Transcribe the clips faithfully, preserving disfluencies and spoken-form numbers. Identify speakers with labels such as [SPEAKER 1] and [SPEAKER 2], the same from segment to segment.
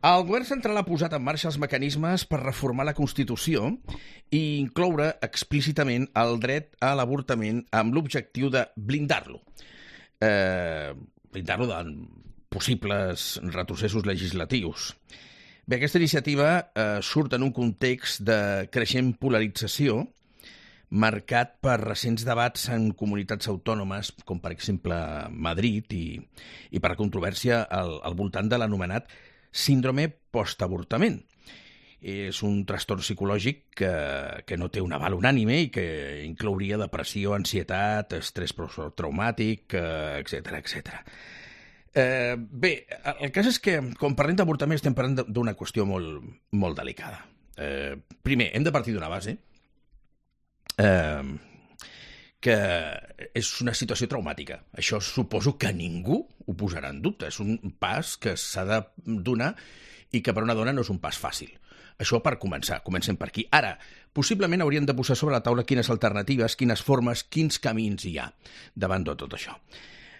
[SPEAKER 1] El govern central ha posat en marxa els mecanismes per reformar la Constitució i incloure explícitament el dret a l'avortament amb l'objectiu de blindar-lo. Eh, blindar-lo de possibles retrocessos legislatius. Bé, aquesta iniciativa eh, surt en un context de creixent polarització marcat per recents debats en comunitats autònomes, com per exemple Madrid, i, i per controvèrsia al, al voltant de l'anomenat síndrome postavortament. És un trastorn psicològic que, que no té un aval unànime i que inclouria depressió, ansietat, estrès posttraumàtic, eh, etcètera, etcètera. Eh, bé, el cas és que, quan parlem d'avortament, estem parlant d'una qüestió molt, molt delicada. Eh, primer, hem de partir d'una base eh, que és una situació traumàtica. Això suposo que ningú ho posarà en dubte. És un pas que s'ha de donar i que per una dona no és un pas fàcil. Això per començar, comencem per aquí. Ara, possiblement hauríem de posar sobre la taula quines alternatives, quines formes, quins camins hi ha davant de tot això.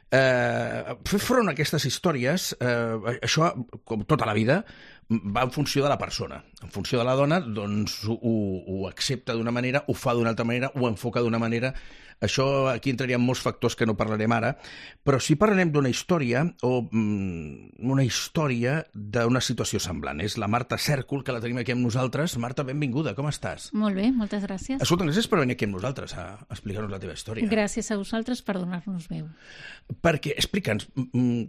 [SPEAKER 1] Eh, fer front a aquestes històries, eh, això, com tota la vida, va en funció de la persona. En funció de la dona, doncs ho, ho accepta d'una manera, ho fa d'una altra manera, ho enfoca d'una manera. Això, aquí entraríem molts factors que no parlarem ara, però sí parlarem d'una història o mm, una història d'una situació semblant. És la Marta Cèrcol, que la tenim aquí amb nosaltres. Marta, benvinguda, com estàs?
[SPEAKER 2] Molt bé, moltes gràcies.
[SPEAKER 1] Escolta, gràcies per venir aquí amb nosaltres a explicar-nos la teva història.
[SPEAKER 2] Gràcies a vosaltres per donar-nos veu.
[SPEAKER 1] Perquè, explica'ns, mm,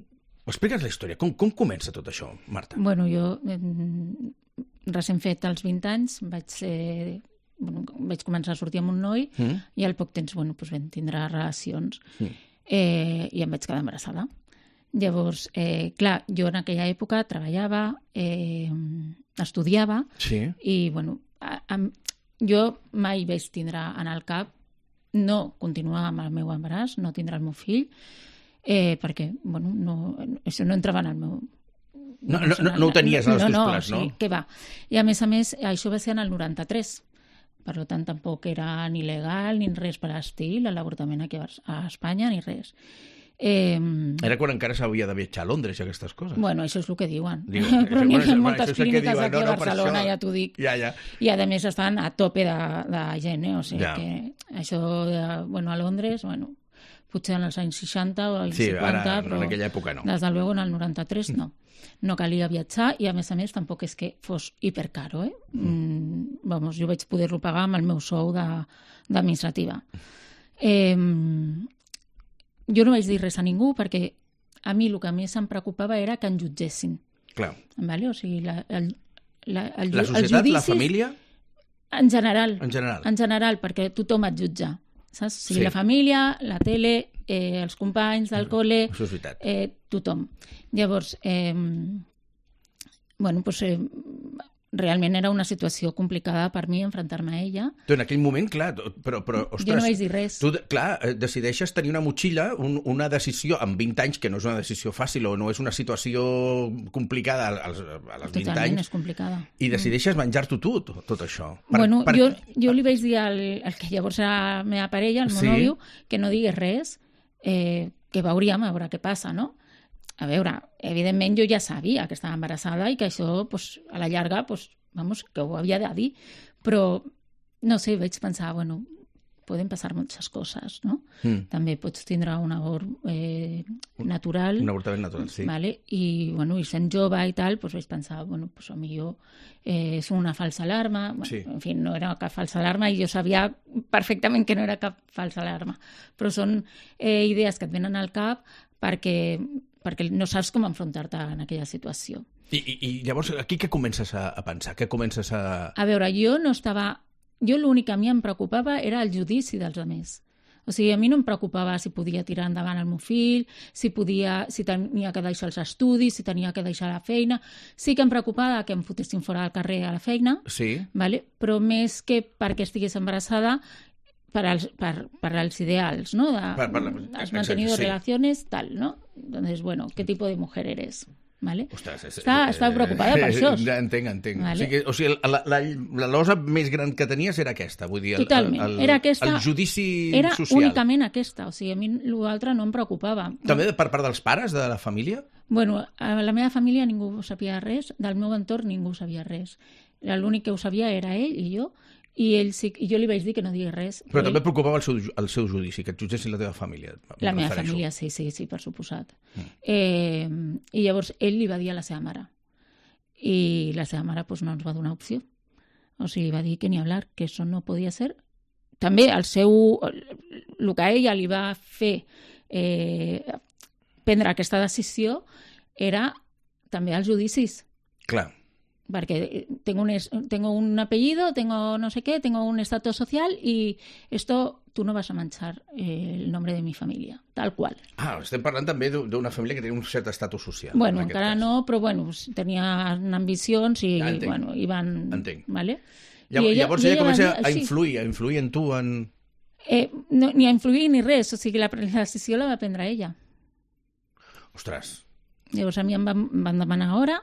[SPEAKER 1] explica'ns la història. Com, com comença tot això, Marta?
[SPEAKER 2] Bueno, jo, eh, recent fet als vint anys, vaig ser... Bueno, vaig començar a sortir amb un noi mm. i al poc temps bueno, doncs vam tindre relacions mm. eh, i em vaig quedar embarassada. Llavors, eh, clar, jo en aquella època treballava, eh, estudiava
[SPEAKER 1] sí.
[SPEAKER 2] i bueno, a, a, jo mai vaig tindre en el cap no continuar amb el meu embaràs, no tindre el meu fill, eh, perquè bueno, no, això no entrava en el meu...
[SPEAKER 1] No, no, no, no ho tenies als teus
[SPEAKER 2] no,
[SPEAKER 1] plans, no?
[SPEAKER 2] Sí, què va. I a més a més, això va ser en el noranta-tres. Per tant, tampoc era ni legal ni res per l'estil, l'avortament aquí a Espanya, ni res. Eh...
[SPEAKER 1] Era quan encara s'havia de viatjar a Londres i aquestes coses.
[SPEAKER 2] Bueno, això és el que diuen.
[SPEAKER 1] Diuen
[SPEAKER 2] però n'hi ha
[SPEAKER 1] bueno,
[SPEAKER 2] moltes clíniques diuen, aquí no, no, a Barcelona, ja t'ho dic.
[SPEAKER 1] Ja, ja.
[SPEAKER 2] I a més estan a tope de, de gent, eh? O sigui ja. que això, de, bueno, a Londres, bueno, potser en els anys seixanta o als
[SPEAKER 1] sí,
[SPEAKER 2] cinquanta,
[SPEAKER 1] ara,
[SPEAKER 2] però
[SPEAKER 1] en aquella època no.
[SPEAKER 2] Des de luego en el noranta-tres no. No calia viatjar i, a més a més, tampoc és que fos hipercaro, eh? Mm, vamos, jo vaig poder-lo pagar amb el meu sou d'administrativa. Eh, jo no vaig dir res a ningú perquè a mi el que més em preocupava era que em jutgessin.
[SPEAKER 1] Clar.
[SPEAKER 2] Vale? O sigui, la, el, la, el,
[SPEAKER 1] la societat,
[SPEAKER 2] judicis,
[SPEAKER 1] la família?
[SPEAKER 2] En general.
[SPEAKER 1] En general.
[SPEAKER 2] En general, perquè tothom et jutja. Saps? O sigui,
[SPEAKER 1] sí.
[SPEAKER 2] La família, la tele, eh, els companys del col·le, eh, tothom. Llavors, eh, bueno, doncs, eh, realment era una situació complicada per mi enfrontar-me a ella.
[SPEAKER 1] Tu en aquell moment, clar, però, però ostres...
[SPEAKER 2] Jo no vaig dir res.
[SPEAKER 1] Tu, clar, decideixes tenir una motxilla, un, una decisió amb vint anys, que no és una decisió fàcil o no és una situació complicada als, a les vint
[SPEAKER 2] Totalment
[SPEAKER 1] anys.
[SPEAKER 2] És complicada.
[SPEAKER 1] I decideixes menjar-t'ho tu, tot, tot això.
[SPEAKER 2] Per, bueno, per... Jo, jo li vaig dir al, al que llavors era la meva parella, el meu sí. nòvio, que no digués res, eh, que veuríem a veure què passa, no? A veure, evidentment jo ja sabia que estava embarassada i que això, pues, a la llarga, pues, vamos, que ho havia de dir, però, no sé, vaig pensar, bueno, poden passar moltes coses, no? Mm. També pots tindre un abort eh, natural.
[SPEAKER 1] Un avortament natural, sí.
[SPEAKER 2] Vale? I, bueno, i sent jove i tal, pues vaig pensar, bueno, pues a millor eh, és una falsa alarma. Bueno,
[SPEAKER 1] sí.
[SPEAKER 2] En fi, no era cap falsa alarma i jo sabia perfectament que no era cap falsa alarma. Però són eh, idees que et venen al cap perquè, perquè no saps com enfrontar-te en aquella situació.
[SPEAKER 1] I, i, i llavors, aquí què comences a, a pensar? Què comences a...
[SPEAKER 2] A veure, jo no estava... Jo l'únic que a mi em preocupava era el judici dels altres. O sigui, a mi no em preocupava si podia tirar endavant el meu fill, si podia, si tenia que deixar els estudis, si tenia que deixar la feina. Sí que em preocupava que em fotessin fora del carrer a la feina,
[SPEAKER 1] sí.
[SPEAKER 2] Vale? Però més que perquè estigués embarassada, per als, per, per als ideals, ¿no? De,
[SPEAKER 1] per, per la...
[SPEAKER 2] Has mantenido
[SPEAKER 1] sí.
[SPEAKER 2] relaciones, tal, ¿no? Entonces, bueno, ¿qué tipo de mujer eres? ¿Vale?
[SPEAKER 1] Ostres, és,
[SPEAKER 2] està, està preocupada per això.
[SPEAKER 1] Entenc, entenc.
[SPEAKER 2] Vale.
[SPEAKER 1] O sigui, o sigui la, la, la losa més gran que tenies era aquesta, vull dir, el,
[SPEAKER 2] totalment.
[SPEAKER 1] El,
[SPEAKER 2] era aquesta,
[SPEAKER 1] el judici
[SPEAKER 2] era
[SPEAKER 1] social.
[SPEAKER 2] Era únicament aquesta, o sigui, a mi l'altre no em preocupava.
[SPEAKER 1] També per part dels pares, de la família?
[SPEAKER 2] Bueno, a la meva família ningú sabia res, del meu entorn ningú sabia res. L'únic que ho sabia era ell i jo, i, ell sí, i jo li vaig dir que no digués res.
[SPEAKER 1] Però
[SPEAKER 2] ell...
[SPEAKER 1] també et preocupava el seu, el seu judici, que et jutgessin la teva família.
[SPEAKER 2] La meva refereixo. família, sí, sí, sí, per suposat. Mm. Eh, I llavors ell li va dir a la seva mare. I la seva mare pues, no ens va donar opció. O sigui, va dir que ni hablar, que això no podia ser. També el seu... El que a ella li va fer eh, prendre aquesta decisió era també els judicis.
[SPEAKER 1] Clar.
[SPEAKER 2] Porque tengo un, tengo un apellido, tengo no sé qué, tengo un estatus social y esto tú no vas a manchar eh, el nombre de mi família, tal qual.
[SPEAKER 1] Ah, estem parlant també d'una família que té un cert estatus social.
[SPEAKER 2] Bueno, en encara cas. no, però bueno, tenien ambicions i,
[SPEAKER 1] ja,
[SPEAKER 2] bueno, i van...
[SPEAKER 1] Entenc.
[SPEAKER 2] Vale?
[SPEAKER 1] Llavors,
[SPEAKER 2] ella,
[SPEAKER 1] llavors ella, ella comença
[SPEAKER 2] dir,
[SPEAKER 1] a influir, a influir en tu, en...
[SPEAKER 2] Eh, no, ni a influir ni res, o sigui, la, la decisió la va prendre ella.
[SPEAKER 1] Ostres...
[SPEAKER 2] Llavors a mi em van, van demanar hora.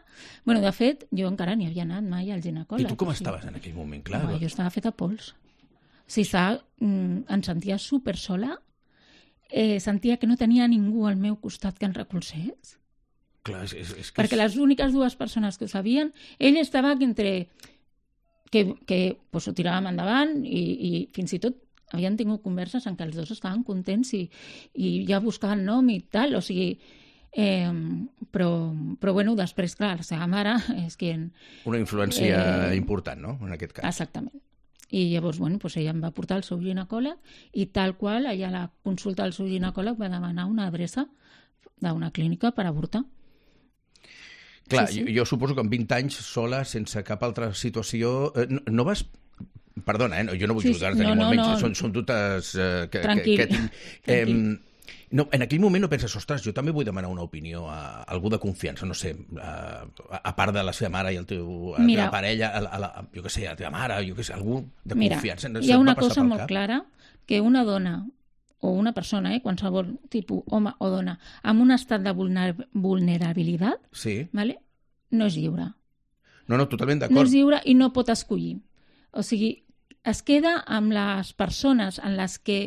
[SPEAKER 2] Bueno, de fet, jo encara n'hi havia anat mai al ginecòleg.
[SPEAKER 1] I tu com estaves en aquell moment? Clar,
[SPEAKER 2] no, jo estava feta pols. O sigui, estava, mm, em sentia super sola. Eh, sentia que no tenia ningú al meu costat que em recolzés.
[SPEAKER 1] Clar, és, és, és que
[SPEAKER 2] Perquè
[SPEAKER 1] és...
[SPEAKER 2] les úniques dues persones que ho sabien, ell estava entre que, que pues, ho tiràvem endavant i, i fins i tot havien tingut converses en què els dos estaven contents i, i ja buscaven nom i tal, o sigui... Eh, però, però bueno, després, clar, la seva mare és qui...
[SPEAKER 1] Una influència eh, important, no?, en aquest cas.
[SPEAKER 2] Exactament. I llavors, bueno, doncs ella em va portar al seu ginecòleg i tal qual, allà a la consulta del seu ginecòleg va demanar una adreça d'una clínica per avortar.
[SPEAKER 1] Clar,
[SPEAKER 2] sí, sí.
[SPEAKER 1] Jo, jo suposo que amb vint anys sola, sense cap altra situació... Eh, no, no vas... Perdona, eh? Jo no vull
[SPEAKER 2] sí,
[SPEAKER 1] juzgar-te
[SPEAKER 2] no,
[SPEAKER 1] ni molt
[SPEAKER 2] no,
[SPEAKER 1] menys,
[SPEAKER 2] no.
[SPEAKER 1] són, són dutes eh, que,
[SPEAKER 2] Tranquil.
[SPEAKER 1] que, que tinc...
[SPEAKER 2] Tranquil.
[SPEAKER 1] Eh, no, en aquell moment no penses, ostres, jo també vull demanar una opinió a algú de confiança, no sé, a, a part de la seva mare i el teu, a la
[SPEAKER 2] Mira,
[SPEAKER 1] teva parella, a, a la, jo què sé, a la teva mare, jo què sé, algú de
[SPEAKER 2] mira,
[SPEAKER 1] confiança.
[SPEAKER 2] Hi ha una cosa molt cap? clara, que una dona o una persona, eh, qualsevol tipus, home o dona, amb un estat de vulner vulnerabilitat,
[SPEAKER 1] sí.
[SPEAKER 2] ¿vale? No és lliure.
[SPEAKER 1] No, no, totalment d'acord.
[SPEAKER 2] No és lliure i no pot escollir. O sigui, es queda amb les persones en les que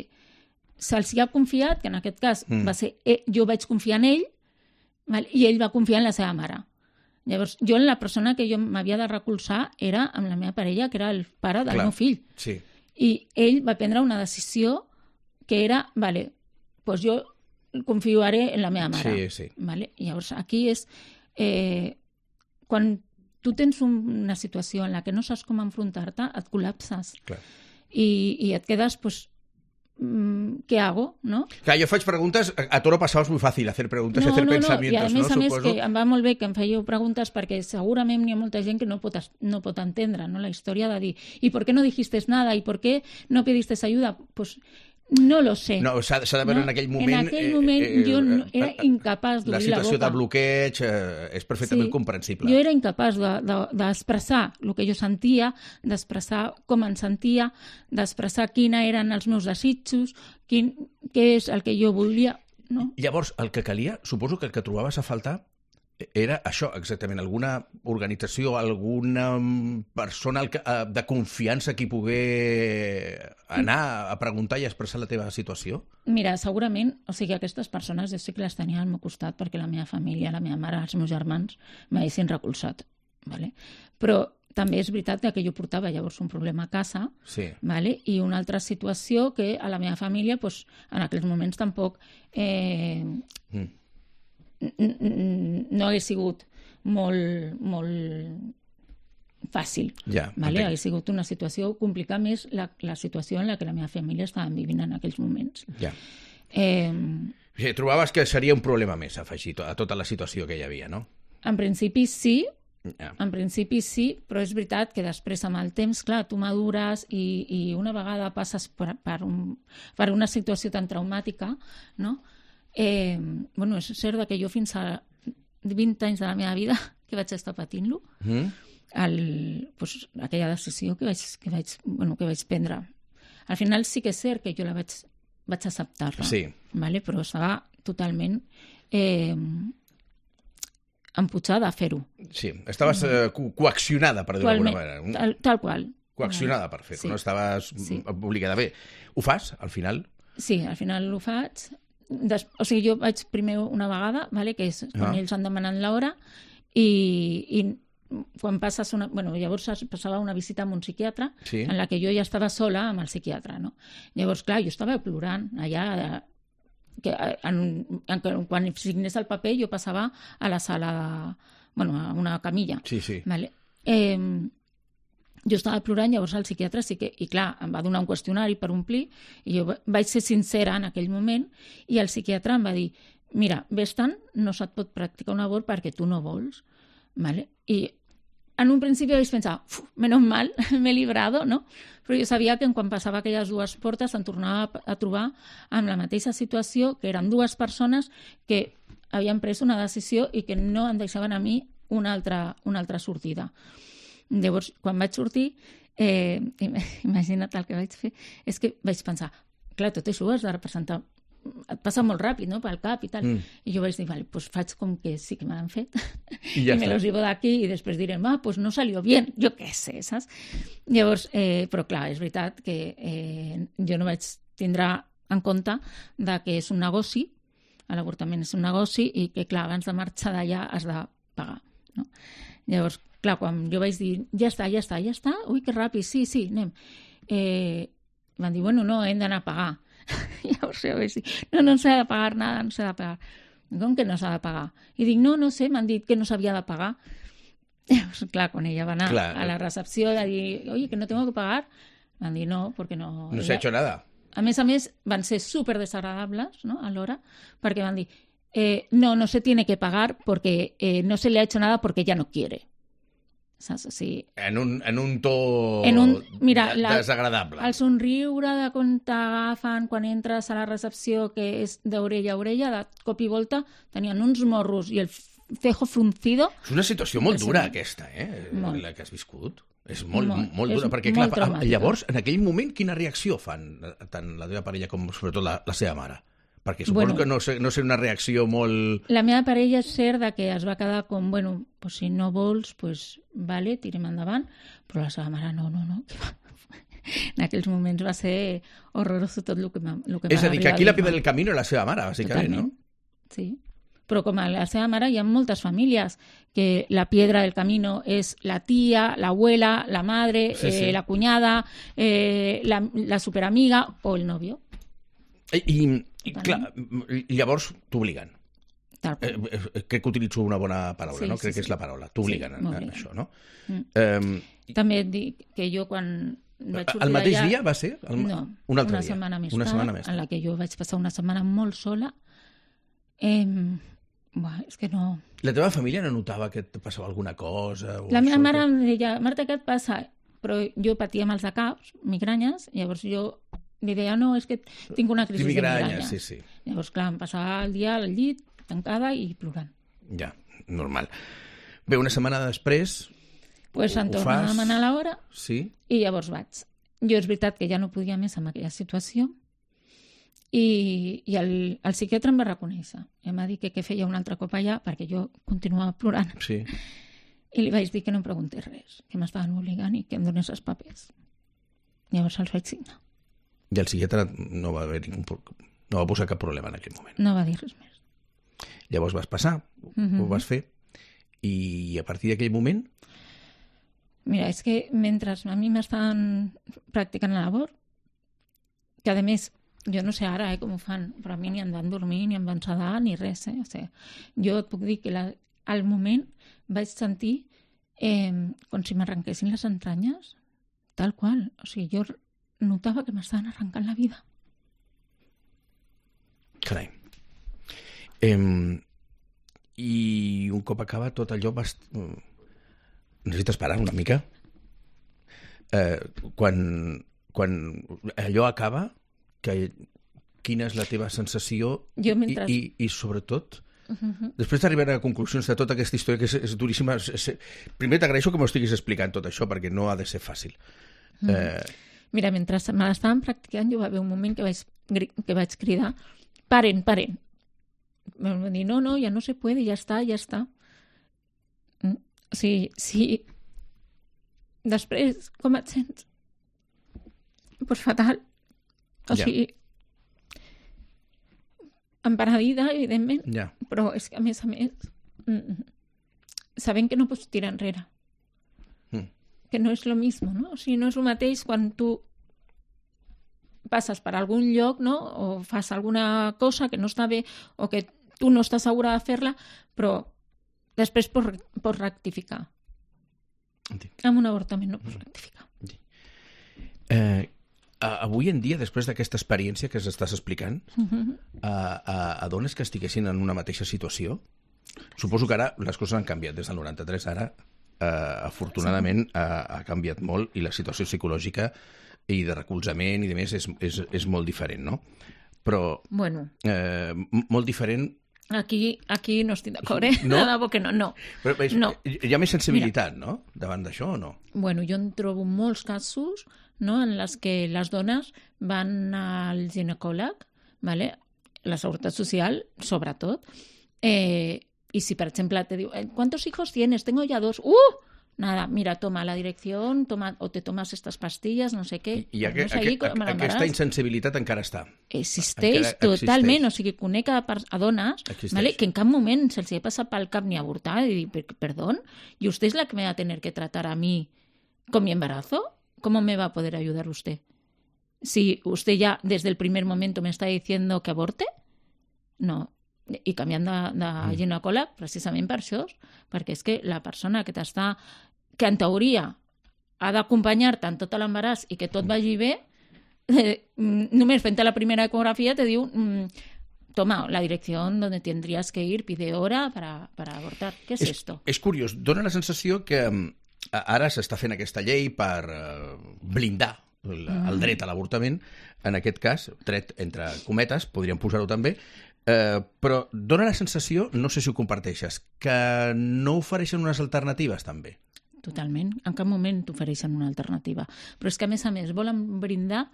[SPEAKER 2] se'ls ha confiat, que en aquest cas mm. va ser, eh, jo vaig confiar en ell, val? I ell va confiar en la seva mare. Llavors, jo la persona que jo m'havia de recolzar era amb la meva parella, que era el pare del
[SPEAKER 1] Clar,
[SPEAKER 2] meu fill.
[SPEAKER 1] Sí.
[SPEAKER 2] I ell va prendre una decisió que era, vale, pues jo confiaré en la meva mare.
[SPEAKER 1] Sí, sí.
[SPEAKER 2] Vale? Llavors, aquí és... Eh, quan tu tens una situació en la que no saps com enfrontar-te, et col·lapses.
[SPEAKER 1] Clar.
[SPEAKER 2] I, i et quedes, pues, ¿qué hago? ¿No?
[SPEAKER 1] Clar, jo faig preguntes, a tu no passava és molt fàcil hacer preguntes,
[SPEAKER 2] no,
[SPEAKER 1] hacer
[SPEAKER 2] no,
[SPEAKER 1] pensamientos,
[SPEAKER 2] no, i a més
[SPEAKER 1] no?
[SPEAKER 2] a més
[SPEAKER 1] Suposo.
[SPEAKER 2] que em va molt bé que em fèieu preguntes perquè segurament hi ha molta gent que no pot, no pot entendre, ¿no? La història de dir, ¿y por qué no dijiste nada? ¿Y por qué no pediste ayuda? Pues no lo sé.
[SPEAKER 1] No, s'ha de veure
[SPEAKER 2] no?
[SPEAKER 1] en aquell moment...
[SPEAKER 2] En aquell moment eh, eh, jo no, era incapaç d'obrir la boca.
[SPEAKER 1] La situació de bloqueig eh, és perfectament sí, comprensible.
[SPEAKER 2] Jo era incapaç d'expressar de, de, el que jo sentia, d'expressar com em sentia, d'expressar quina eren els meus desitjos, quin, què és el que jo volia. No?
[SPEAKER 1] Llavors, el que calia, suposo que el que trobaves a faltar era això, exactament, alguna organització, alguna persona de confiança que hi pogués anar a preguntar i a expressar la teva situació?
[SPEAKER 2] Mira, segurament, o sigui, aquestes persones jo sé que les tenia al meu costat perquè la meva família, la meva mare, els meus germans m'haguessin recolzat, ¿vale? Però també és veritat que jo portava llavors un problema a casa,
[SPEAKER 1] sí.
[SPEAKER 2] ¿vale? I una altra situació que a la meva família pues, en aquells moments tampoc... Eh, mm. no hagués sigut molt, molt fàcil.
[SPEAKER 1] Ja,
[SPEAKER 2] vale? Hagués sigut una situació complicada, més la, la situació en la que la meva família estava vivint en aquells moments.
[SPEAKER 1] Ja.
[SPEAKER 2] Eh,
[SPEAKER 1] sí, trobaves que seria un problema més afegit a tota la situació que hi havia, no?
[SPEAKER 2] En principi sí,
[SPEAKER 1] ja.
[SPEAKER 2] en principi sí, però és veritat que després amb el temps, clar, tu madures i, i una vegada passes per, per, un, per una situació tan traumàtica, no?, Eh, bueno, és cert que jo fins a vint anys de la meva vida que vaig estar patint-lo, mm. el, pues, aquella decisió que vaig, que, vaig, bueno, que vaig prendre. Al final sí que és cert que jo la vaig, vaig acceptar-la,
[SPEAKER 1] sí.
[SPEAKER 2] Vale? Però estava totalment eh, emputxada a fer-ho.
[SPEAKER 1] Sí, estaves eh, co coaccionada, per dir-ho d'alguna manera.
[SPEAKER 2] Tal, tal qual.
[SPEAKER 1] Coaccionada per fer-ho,
[SPEAKER 2] sí.
[SPEAKER 1] no? Estaves
[SPEAKER 2] sí.
[SPEAKER 1] obligada. Bé, ho fas, al final?
[SPEAKER 2] Sí, al final ho faig. des... o sigui, jo vaig primer una vegada, vale? Que és quan
[SPEAKER 1] Ah.
[SPEAKER 2] ells han demanat l'hora, i, i quan passes una... Bueno, llavors es passava una visita amb un psiquiatre,
[SPEAKER 1] Sí.
[SPEAKER 2] en la que jo ja estava sola amb el psiquiatre, no? Llavors, clar, jo estava plorant allà, eh, que en, en, quan signés el paper jo passava a la sala de... Bueno, a una camilla.
[SPEAKER 1] Sí, sí.
[SPEAKER 2] Vale? Eh, jo estava plorant, llavors el psiquiatre sí que... I clar, em va donar un qüestionari per omplir, i jo vaig ser sincera en aquell moment, i el psiquiatre em va dir, mira, ves-te'n, no se't pot practicar un abort perquè tu no vols. Vale? I en un principi vaig pensar, menos mal, m'he librado, no? Però jo sabia que quan passava aquelles dues portes em tornava a trobar amb la mateixa situació, que eren dues persones que havien pres una decisió i que no em deixaven a mi una altra, una altra sortida. Llavors, quan vaig sortir, eh, imagina't el que vaig fer, és que vaig pensar, clar, tot això ho has de representar, et passa molt ràpid, no?, pel cap i tal. Mm. I jo vaig dir, vale, pues faig com que sí que me l'han fet
[SPEAKER 1] i, ja
[SPEAKER 2] i me los llevo d'aquí i després direm, ah, pues no salió bien, jo què sé, saps? Llavors, eh, però clar, és veritat que eh, jo no vaig tindre en compte de que és un negoci, l'avortament és un negoci i que, clar, abans de marxar d'allà has de pagar, no? Llavors, clar, quan jo vaig dir, ja està, ja està, ja està, ui, que ràpid, sí, sí, anem. Eh, van dir, bueno, no, hem d'anar a pagar. Llavors jo vaig dir, no, no s'ha de pagar nada, no s'ha de pagar. Com que no s'ha de pagar? I dic, no, no sé, m'han dit que no s'havia de pagar. Llavors, clar, quan ella va anar
[SPEAKER 1] clar.
[SPEAKER 2] a la recepció a dir, oye, que no tengo que pagar, van dir, no, perquè no...
[SPEAKER 1] No s'ha hecho nada.
[SPEAKER 2] A més a més, van ser súper desagradables, ¿no?, a l'hora, perquè van dir, eh, no, no se tiene que pagar porque eh, no se le ha hecho nada porque ella no quiere. Saps? O sigui,
[SPEAKER 1] En un, en un to
[SPEAKER 2] en un, mira,
[SPEAKER 1] de-
[SPEAKER 2] la,
[SPEAKER 1] desagradable.
[SPEAKER 2] el somriure de quan t'agafen quan entres a la recepció, que és d'orella a orella, de cop i volta, tenien uns morros i el cejo fruncido.
[SPEAKER 1] És una situació molt
[SPEAKER 2] Sí.
[SPEAKER 1] dura, aquesta, eh?
[SPEAKER 2] Molt.
[SPEAKER 1] La que has viscut. És molt, molt,
[SPEAKER 2] Molt.
[SPEAKER 1] molt
[SPEAKER 2] És
[SPEAKER 1] dura, perquè, clar,
[SPEAKER 2] molt traumàtica.
[SPEAKER 1] llavors, en aquell moment, quina reacció fan tant la teva parella com, sobretot, la, la seva mare? Perquè suposo
[SPEAKER 2] Bueno.
[SPEAKER 1] que no sé, no sé una reacció molt...
[SPEAKER 2] La meva parella és cert de que es va quedar com, bueno, pues si no vols, pues vale, tirem endavant, però la seva mare no, no, no. En aquells moments va ser horroroso tot el que, m'ha- el que
[SPEAKER 1] És a dir, que aquí la piedra
[SPEAKER 2] del
[SPEAKER 1] del camino és la seva mare, bàsicament, no?
[SPEAKER 2] Sí. Però com a la seva mare hi ha moltes famílies que la piedra del camino és la tia, l'abuela, la madre,
[SPEAKER 1] Sí, sí.
[SPEAKER 2] eh, la cunyada, eh, la, la superamiga o el novio.
[SPEAKER 1] I, i, i
[SPEAKER 2] Totalment.
[SPEAKER 1] clar, llavors t'obliguen.
[SPEAKER 2] Tal
[SPEAKER 1] Eh,
[SPEAKER 2] qual.
[SPEAKER 1] eh, crec que utilitzo una bona paraula,
[SPEAKER 2] Sí,
[SPEAKER 1] no?
[SPEAKER 2] sí,
[SPEAKER 1] Crec que
[SPEAKER 2] sí.
[SPEAKER 1] és la paraula. T'obliguen
[SPEAKER 2] Sí,
[SPEAKER 1] a, a
[SPEAKER 2] m'obliguen.
[SPEAKER 1] això, no?
[SPEAKER 2] Mm.
[SPEAKER 1] Eh,
[SPEAKER 2] També et dic que jo quan vaig sortir
[SPEAKER 1] el mateix
[SPEAKER 2] d'allà-
[SPEAKER 1] dia va ser? El,
[SPEAKER 2] No,
[SPEAKER 1] un altre
[SPEAKER 2] una
[SPEAKER 1] dia.
[SPEAKER 2] setmana més
[SPEAKER 1] una
[SPEAKER 2] tard,
[SPEAKER 1] setmana més
[SPEAKER 2] en
[SPEAKER 1] tard.
[SPEAKER 2] la que jo vaig passar una setmana molt sola. Eh, buah, és que no...
[SPEAKER 1] La teva família no notava que et passava alguna cosa? O
[SPEAKER 2] La meva
[SPEAKER 1] això,
[SPEAKER 2] mare
[SPEAKER 1] que-
[SPEAKER 2] em deia, Marta, què et passa? Però jo patia mals de caps, migranyes, llavors jo li deia, no, és que tinc una crisi
[SPEAKER 1] Sí,
[SPEAKER 2] de
[SPEAKER 1] migranya,
[SPEAKER 2] migranya.
[SPEAKER 1] sí, sí.
[SPEAKER 2] Llavors, clar, em passava el dia al llit, tancada i plorant.
[SPEAKER 1] Ja, normal. Bé, una setmana després...
[SPEAKER 2] Pues
[SPEAKER 1] ho-
[SPEAKER 2] em
[SPEAKER 1] ho
[SPEAKER 2] torna a
[SPEAKER 1] fas?
[SPEAKER 2] demanar l'hora
[SPEAKER 1] Sí?
[SPEAKER 2] i llavors vaig. Jo és veritat que ja no podia més amb aquella situació i, i el, el psiquiatre em va reconèixer. I em va dir que què feia un altre cop allà perquè jo continuava plorant.
[SPEAKER 1] Sí.
[SPEAKER 2] I li vaig dir que no em preguntés res, que m'estaven obligant i que em donés els papers. Llavors els vaig signar.
[SPEAKER 1] I el psiquiatre no va haver ningú, no va posar cap problema en aquell moment.
[SPEAKER 2] No va dir res més.
[SPEAKER 1] Llavors vas passar,
[SPEAKER 2] Mhm.
[SPEAKER 1] ho vas fer, i a partir d'aquell moment...
[SPEAKER 2] Mira, és que mentre a mi m'estaven practicant l'abort, que a més, jo no sé ara eh, com ho fan, però a mi ni em van dormir, ni em van sedar, ni res. Eh? O sigui, jo et puc dir que la, al moment vaig sentir eh, com si m'arrenquessin les entranyes, tal qual. O sigui, jo notava que m'estaven arrencant la vida.
[SPEAKER 1] Carai. Em, I un cop acaba tot allò vas... Necessites parar una mica. Eh, quan, quan allò acaba, que, quina és la teva sensació
[SPEAKER 2] Jo mentre-
[SPEAKER 1] i, i, i sobretot... Uh-huh. Després d'arribar a conclusions de tota aquesta història, que és, és duríssima... És, és, primer t'agraeixo que m'ho estiguis explicant tot això, perquè no ha de ser fàcil.
[SPEAKER 2] Mm.
[SPEAKER 1] Eh,
[SPEAKER 2] Mira, mentre me l'estaven practicant, jo va haver un moment que vaig, gri- que vaig cridar paren, paren. Em van dir, no, no, ja no se puede, ja està, ja està. Mm, O sigui, sí. Després, com et sents? Pues fatal. O
[SPEAKER 1] Ja.
[SPEAKER 2] sigui, Emperadida, evidentment,
[SPEAKER 1] Ja.
[SPEAKER 2] però és que, a més a més, mm, sabent que no pots tirar enrere.
[SPEAKER 1] Mm.
[SPEAKER 2] Que no és lo mismo, no? O sigui, no és el mateix quan tu passes per algun lloc, no? O fas alguna cosa que no està bé o que tu no estàs segura de fer-la, però després pots, pots rectificar.
[SPEAKER 1] Entenc.
[SPEAKER 2] Amb un avortament no pots rectificar.
[SPEAKER 1] Eh, avui en dia, després d'aquesta experiència que estàs explicant,
[SPEAKER 2] Uh-huh.
[SPEAKER 1] a, a, a dones que estiguessin en una mateixa situació, suposo que ara les coses han canviat des del noranta-tres, ara eh, afortunadament ha, ha canviat molt i la situació psicològica i de recolzament i de més és, és, és molt diferent, no? Però
[SPEAKER 2] Bueno,
[SPEAKER 1] eh, m- molt diferent.
[SPEAKER 2] aquí, aquí no estic d'acord, eh?
[SPEAKER 1] No?
[SPEAKER 2] De debò que no, no.
[SPEAKER 1] Però és,
[SPEAKER 2] No.
[SPEAKER 1] hi ha més sensibilitat, no?, davant d'això o no?
[SPEAKER 2] Bueno, jo en trobo molts casos, no?, en les que les dones van al ginecòleg, ¿vale? La seguretat social, sobretot, eh, y si, por ejemplo, te digo, ¿cuántos hijos tienes? Tengo ya dos. ¡Uh! Nada, mira, toma la dirección, toma, o te tomas estas pastillas, no sé què.
[SPEAKER 1] I aqu
[SPEAKER 2] Pues no sé,
[SPEAKER 1] aqu
[SPEAKER 2] amb
[SPEAKER 1] aquesta
[SPEAKER 2] l'embaràs
[SPEAKER 1] insensibilitat encara està.
[SPEAKER 2] existeix
[SPEAKER 1] Encara
[SPEAKER 2] totalment,
[SPEAKER 1] existeix.
[SPEAKER 2] o sigui, conec a, per- a dones,
[SPEAKER 1] Existeix.
[SPEAKER 2] ¿vale?, que en cap moment se'ls ha passat pel cap ni abortar, y dir, "Per- perdón, ¿y usted es la que me va a tener que tratar a mí con mi embarazo? ¿Cómo me va a poder ayudar usted? Si usted ya desde el primer momento me está diciendo que aborte, no. I canviant de, de
[SPEAKER 1] Mm.
[SPEAKER 2] ginecòleg precisament per això, perquè és que la persona que t'està, que en teoria ha d'acompanyar-te en tot l'embaràs i que tot vagi bé, eh, mm, només fent la primera ecografia te diu mm, toma, la dirección donde tendrías que ir, pide hora para, para abortar. ¿Qué es,
[SPEAKER 1] és,
[SPEAKER 2] esto?
[SPEAKER 1] És curiós, dona la sensació que mm, ara s'està fent aquesta llei per eh, blindar el, el dret a l'avortament, en aquest cas, dret entre cometes, podríem posar-ho també, eh, però dona la sensació, no sé si ho comparteixes, que no ofereixen unes alternatives també.
[SPEAKER 2] Totalment. En cap moment t'ofereixen una alternativa. Però és que, a més a més, volen brindar,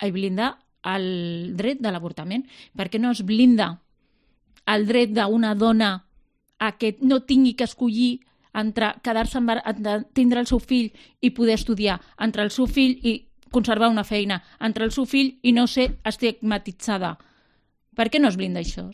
[SPEAKER 2] ai, blindar el dret de l'avortament. Per què no es blinda el dret d'una dona a que no tingui que escollir entre quedar-se embar... entre tindre el seu fill i poder estudiar, entre el seu fill i conservar una feina, entre el seu fill i no ser estigmatitzada? Per què no es blinda això?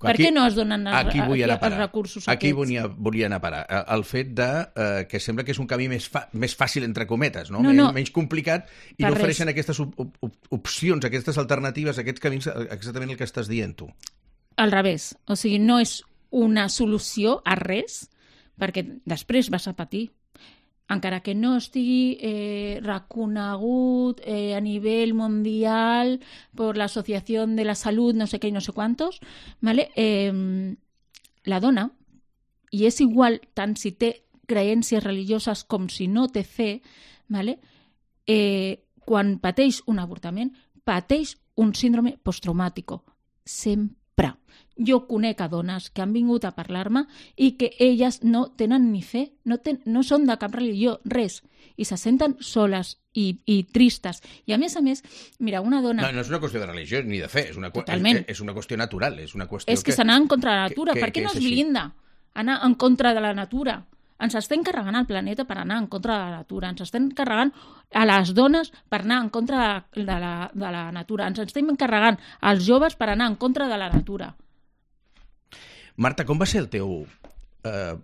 [SPEAKER 2] Per
[SPEAKER 1] Aquí-
[SPEAKER 2] què no es donen els,
[SPEAKER 1] Aquí vull anar a
[SPEAKER 2] els
[SPEAKER 1] parar.
[SPEAKER 2] recursos
[SPEAKER 1] Aquí
[SPEAKER 2] aquests?
[SPEAKER 1] volia, volia anar a parar. Eh, El fet de eh, que sembla que és un camí més, fa, més fàcil, entre cometes, no?
[SPEAKER 2] No,
[SPEAKER 1] menys,
[SPEAKER 2] no.
[SPEAKER 1] menys complicat, i
[SPEAKER 2] Per
[SPEAKER 1] no
[SPEAKER 2] res.
[SPEAKER 1] ofereixen aquestes op op opcions, aquestes alternatives, aquests camins, eh, exactament el que estàs dient tu.
[SPEAKER 2] Al revés. O sigui, no és una solució a res, perquè després vas a patir. Encara que no estigui eh, reconegut eh, a nivell mundial per l'Associació de la Salut, no sé què i no sé quantos, ¿vale? eh, la dona, i és igual tant si té creences religioses com si no té fe, ¿vale? eh, quan pateix un avortament, pateix un síndrome posttraumàtic. Sempre. Jo conec a dones que han vingut a parlar-me i que elles no tenen ni fe, no, ten, no són de cap religió, res, i se senten soles i, i tristes. I a més a més, mira, una dona...
[SPEAKER 1] No, no és una qüestió de religió ni de fe, és una, qu-
[SPEAKER 2] Totalment.
[SPEAKER 1] és, és una qüestió natural, és una qüestió
[SPEAKER 2] És que s'anà en contra de la natura.
[SPEAKER 1] que-
[SPEAKER 2] Per què
[SPEAKER 1] que
[SPEAKER 2] no
[SPEAKER 1] és
[SPEAKER 2] es
[SPEAKER 1] així.
[SPEAKER 2] blinda anar en contra de la natura? Ens estem carregant el planeta per anar en contra de la natura. Ens estem carregant a les dones per anar en contra de la, de la natura. Ens estem carregant als joves per anar en contra de la natura.
[SPEAKER 1] Marta, com va ser el teu eh,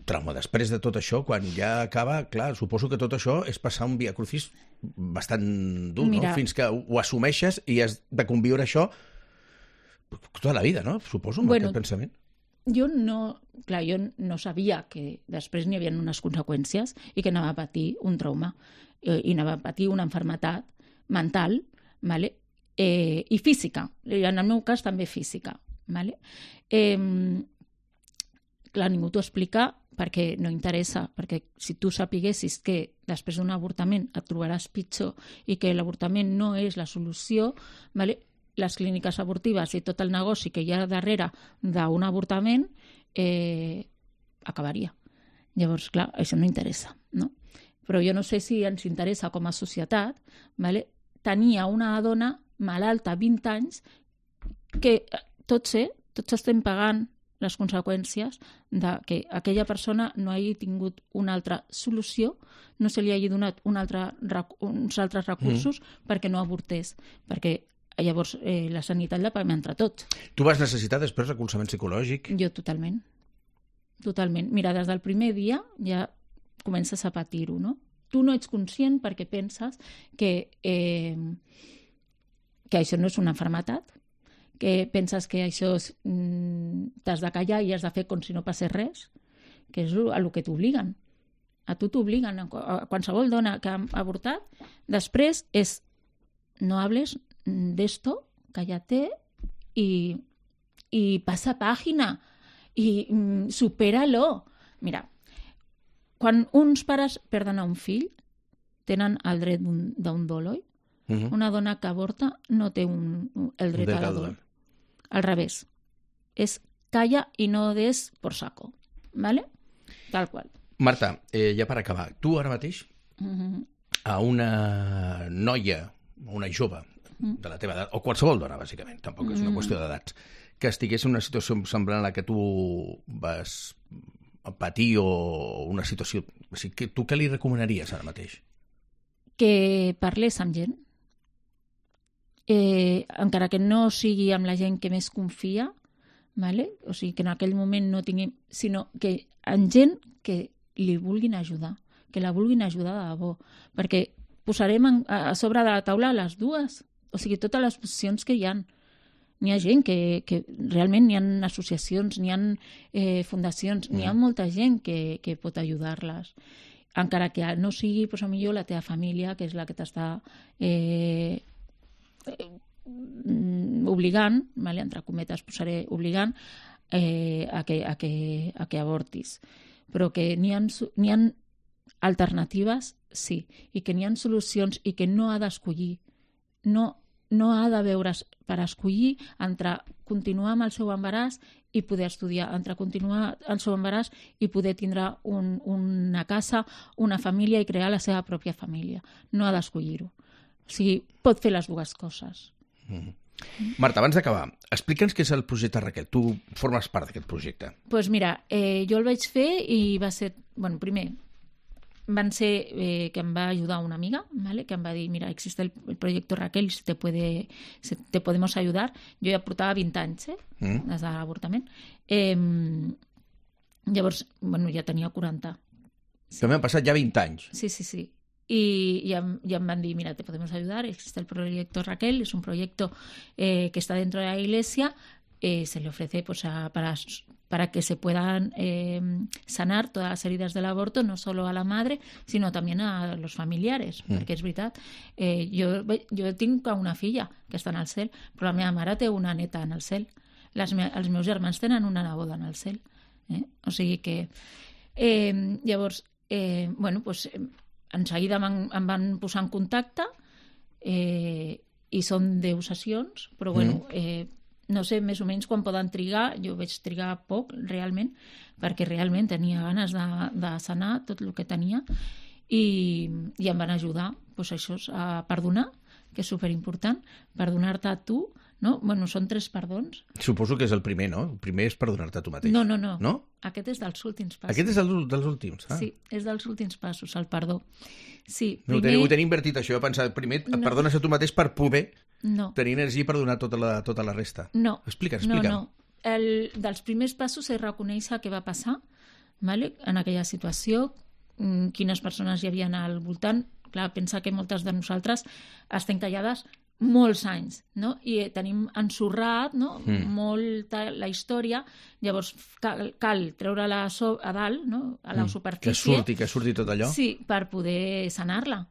[SPEAKER 1] trauma després de tot això, quan ja acaba, clar, suposo que tot això és passar un via crucis bastant dur,
[SPEAKER 2] Mira.
[SPEAKER 1] no? Fins que ho, ho assumeixes i has de conviure això tota la vida, no? Suposo, amb
[SPEAKER 2] Bueno,
[SPEAKER 1] aquest pensament.
[SPEAKER 2] Jo no, clar, jo no sabia que després n'hi havia unes conseqüències i que anava a patir un trauma eh, i anava a patir una malaltia mental, ¿vale? eh, i física, i en el meu cas també física. ¿Vale? Eh, clar, ningú t'ho explica perquè no interessa, perquè si tu sapiguessis que després d'un avortament et trobaràs pitjor i que l'avortament no és la solució, ¿vale? Les clíniques abortives i tot el negoci que hi ha darrere d'un avortament eh, acabaria. Llavors, clar, això no interessa, no? Però jo no sé si ens interessa com a societat, ¿vale? Tenir a una dona malalta vint anys que tots, eh, tots estem pagant les conseqüències de que aquella persona no hagi tingut una altra solució, no se li hagi donat un altre, uns altres recursos mm. perquè no avortés. Perquè llavors eh, la sanitat la paguem entre tots.
[SPEAKER 1] Tu vas necessitar després recolzament psicològic?
[SPEAKER 2] Jo totalment. Totalment. Mira, des del primer dia ja comences a patir-ho, no? Tu no ets conscient perquè penses que, eh, que això no és una malaltia, que penses que això és, mm, t'has de callar i has de fer com si no passés res, que és a lo que t'obliguen. A tu t'obliguen. A qualsevol dona que ha avortat, després és no hables d'esto, cállate y, y pasa página y mm, supéralo. Mira, quan uns pares perden a un fill, tenen el dret d'un dol, oi? Uh-huh. Una dona que avorta no té un, el dret, dret a la dol. Al revés. És calla i no des por saco. ¿Vale? Tal qual.
[SPEAKER 1] Marta, eh, ja per acabar, tu ara mateix uh-huh. a una noia, una jove de la teva edat, o qualsevol dona, bàsicament, tampoc és una qüestió d'edats, que estigués en una situació semblant a la que tu vas patir o una situació... O sigui, que, tu què li recomanaries ara mateix?
[SPEAKER 2] Que parlés amb gent, eh, encara que no sigui amb la gent que més confia, vale? O sigui, que en aquell moment no tingui... sinó que en gent que li vulguin ajudar, que la vulguin ajudar de debò, perquè posarem en, a sobre de la taula les dues, o sigui, totes les posicions que hi ha. N'hi ha gent que, que realment n'hi ha associacions, n'hi ha eh, fundacions, n'hi ha molta gent que, que pot ajudar-les. Encara que no sigui, doncs, millor la teva família, que és la que t'està eh, eh, obligant, vale? Entre cometes posaré obligant, eh, a, que, a, que, a que avortis. Però que n'hi ha, n'hi ha alternatives, sí, i que n'hi ha solucions i que no ha d'escollir. No no ha de veure's per escollir entre continuar amb el seu embaràs i poder estudiar, entre continuar el seu embaràs i poder tindre un, una casa, una família i crear la seva pròpia família. No ha d'escollir-ho. O sigui, pot fer les dues coses.
[SPEAKER 1] Mm. Marta, abans d'acabar, explica'ns què és el projecte Raquel. Tu formes part d'aquest projecte.
[SPEAKER 2] Doncs pues mira, eh, jo el vaig fer i va ser... Bueno, primer... van ser eh, que em va ayudar una amiga, ¿vale? Que em va dir, mira, existe el, el proyecto Raquel, si te, puede, si te podemos ayudar. Jo ja portava vint anys, eh? Mm. Des de l'avortament. Eh, llavors, bueno, ja tenia quaranta.
[SPEAKER 1] Sí. També han passat ja vint anys.
[SPEAKER 2] Sí, sí, sí. Y ya, ya me van dicho, mira, te podemos ayudar, existe el proyecto Raquel, es un proyecto eh, que está dentro de la iglesia, eh, se le ofrece pues, a, para... para que se puedan eh, sanar todas las heridas del aborto, no solo a la madre, sino también a los familiares, mm. perquè és veritat. Eh, jo, jo tinc una filla que està en el cel, però la meva mare té una neta en el cel. Les me, els meus germans tenen una neboda en el cel. Eh? O sigui que... Eh, llavors, eh, bueno, pues, en seguida em, em van posar en contacte eh, i són deu sessions, però bueno... Mm. Eh, no sé més o menys quan poden trigar, jo vaig trigar poc realment, perquè realment tenia ganes de, de sanar tot el que tenia i, i em van ajudar doncs això, a perdonar, que és superimportant, perdonar-te a tu, no? Bueno, són tres perdons.
[SPEAKER 1] Suposo que és el primer, no? El primer és perdonar-te a tu mateix.
[SPEAKER 2] No, no, no.
[SPEAKER 1] No?
[SPEAKER 2] Aquest és dels últims passos.
[SPEAKER 1] Aquest és el, dels últims? Ah.
[SPEAKER 2] Sí, és dels últims passos, el perdó. Sí,
[SPEAKER 1] primer... No, ho, tenia, ho tenia invertit, això. He pensat, primer et no. perdones a tu mateix per poder no. tenir energia per donar tota la, tota la resta.
[SPEAKER 2] No.
[SPEAKER 1] Explica, explica.
[SPEAKER 2] No, no. El, dels primers passos és reconèixer què va passar, vale? En aquella situació, quines persones hi havia al voltant. Clar, pensa que moltes de nosaltres estem callades molts anys, no? I tenim ensorrat, no? Mm. molta la història, llavors cal, cal treure-la so, a dalt, no? A la mm. superfície.
[SPEAKER 1] Que surti, que surti tot allò.
[SPEAKER 2] Sí, per poder sanar-la.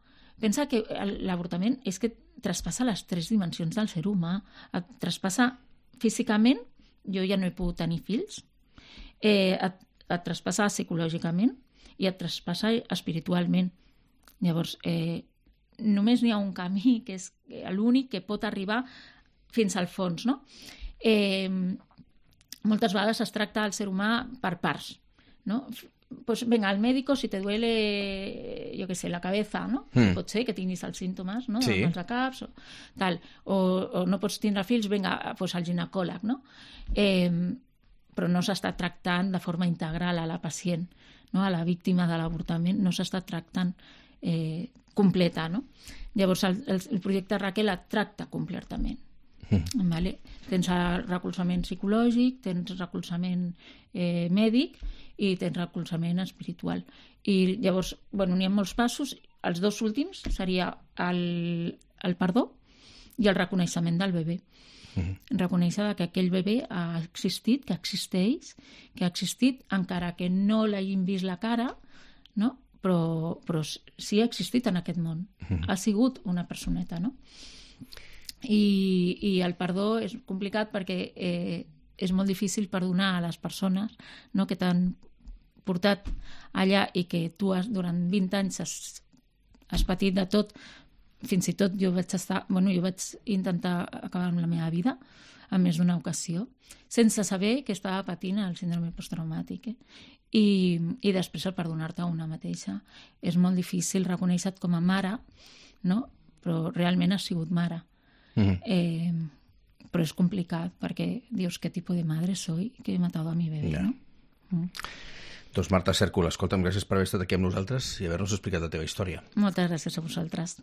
[SPEAKER 2] Pensa que l'avortament és que traspassa les tres dimensions del ser humà. Et traspassa físicament, jo ja no he pogut tenir fills, eh, et, et traspassa psicològicament i et traspassa espiritualment. Llavors, eh, només n'hi ha un camí, que és l'únic que pot arribar fins al fons, no? Eh, moltes vegades es tracta el ser humà per parts, no? Pues venga, al médico si te duele, jo què sé, la cabeza, no? Mm. Pot ser que tinguis els símptomes, no? Sí. Els de caps, o tal. O, o no pots tindre fills, venga, pues al ginecòleg, no? Eh, però no s'està tractant de forma integral a la pacient, no? A la víctima de l'avortament no s'està tractant eh, completa, no? Llavors el, el, el projecte Raquel et tracta completament. Mm. Vale? Tens recolzament psicològic, tens recolzament eh, mèdic i tens recolzament espiritual. I llavors, bueno, n'hi ha molts passos. Els dos últims seria el, el perdó i el reconeixement del bebè. Mm-hmm. Reconèixer que aquell bebè ha existit, que existeix, que ha existit, encara que no l'hagin vist la cara, no? Però, però sí ha existit en aquest món. Mm-hmm. Ha sigut una personeta, no? I, i el perdó és complicat perquè eh, és molt difícil perdonar a les persones, no? Que t'han portat allà i que tu has, durant vint anys has, has patit de tot. Fins i tot jo vaig estar, bueno, jo vaig intentar acabar amb la meva vida en més d'una ocasió, sense saber que estava patint el síndrome posttraumàtic. Eh? I, I després el perdonar-te a una mateixa. És molt difícil reconèixer-te com a mare, no? Però realment has sigut mare. Mm-hmm. eh, però és complicat perquè dius, ¿qué tipo de madre soy que he matado a mi bebé? Yeah. No? Mm.
[SPEAKER 1] Doncs Marta Cèrcol, escolta'm, gràcies per haver estat aquí amb nosaltres i haver-nos explicat la teva història.
[SPEAKER 2] Moltes gràcies a vosaltres.